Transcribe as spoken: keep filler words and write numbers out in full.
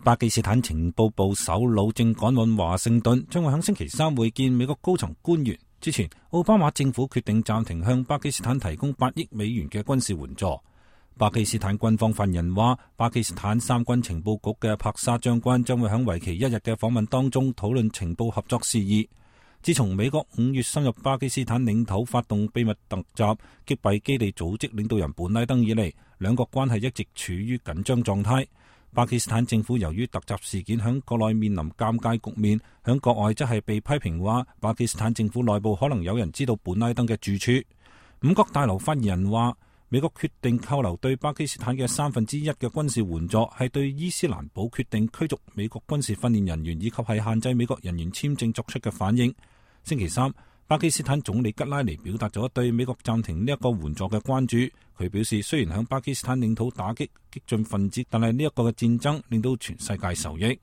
巴基斯坦情報部首腦正趕往華盛頓，將會喺星期三會見美國高層官員。之前，奧巴馬政府決定暫停向巴基斯坦提供八億美元嘅軍事援助。巴基斯坦軍方發言人話，巴基斯坦三軍情報局嘅帕沙將軍將會喺為期一日嘅訪問當中討論情報合作事宜。自從美國五月深入巴基斯坦領土發動秘密突襲，擊斃基地組織領導人本拉登以嚟，兩國關係一直處於緊張狀態。巴基斯坦政府由於突襲事件響國內面臨尷尬局面，響國外則係被批評話巴基斯坦政府內部可能有人知道本拉登嘅住處。五角大樓發言人話，美國決定扣留對巴基斯坦嘅三分之一嘅軍事援助，係對伊斯蘭堡決定驅逐美國軍事訓練人員以及係限制美國人員簽證作出嘅反應。星期三，巴基斯坦總理吉拉尼表達咗對美國暫停呢一個援助嘅關注。佢表示，雖然響巴基斯坦領土打擊激進分子，但係呢一個嘅戰爭令到全世界受益。